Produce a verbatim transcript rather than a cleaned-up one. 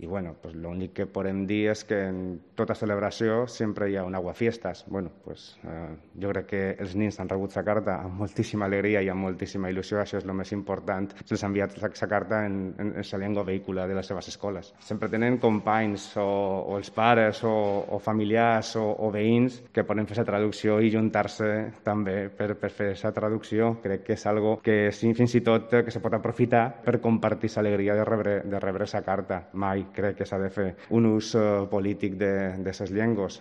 I bueno, pues l'únic que podem dir és que en tota celebració sempre hi ha un aguafiestas. Bueno, pues, eh, jo crec que els nins han rebut la carta amb moltíssima alegria i amb moltíssima il·lusió, això és el més important. Se'ls ha enviat la carta en, en, en la llengua vehicular de les seves escoles. Sempre tenen companys o, o els pares o, o familiars o, o veïns que poden fer la traducció i juntar-se també per, per fer la traducció. Crec que és algo que sí, fins i tot que se pot aprofitar per compartir l'alegria de rebre de rebre sa carta. Mai crec que s'ha de fer un ús uh, polític de, de ses llengües.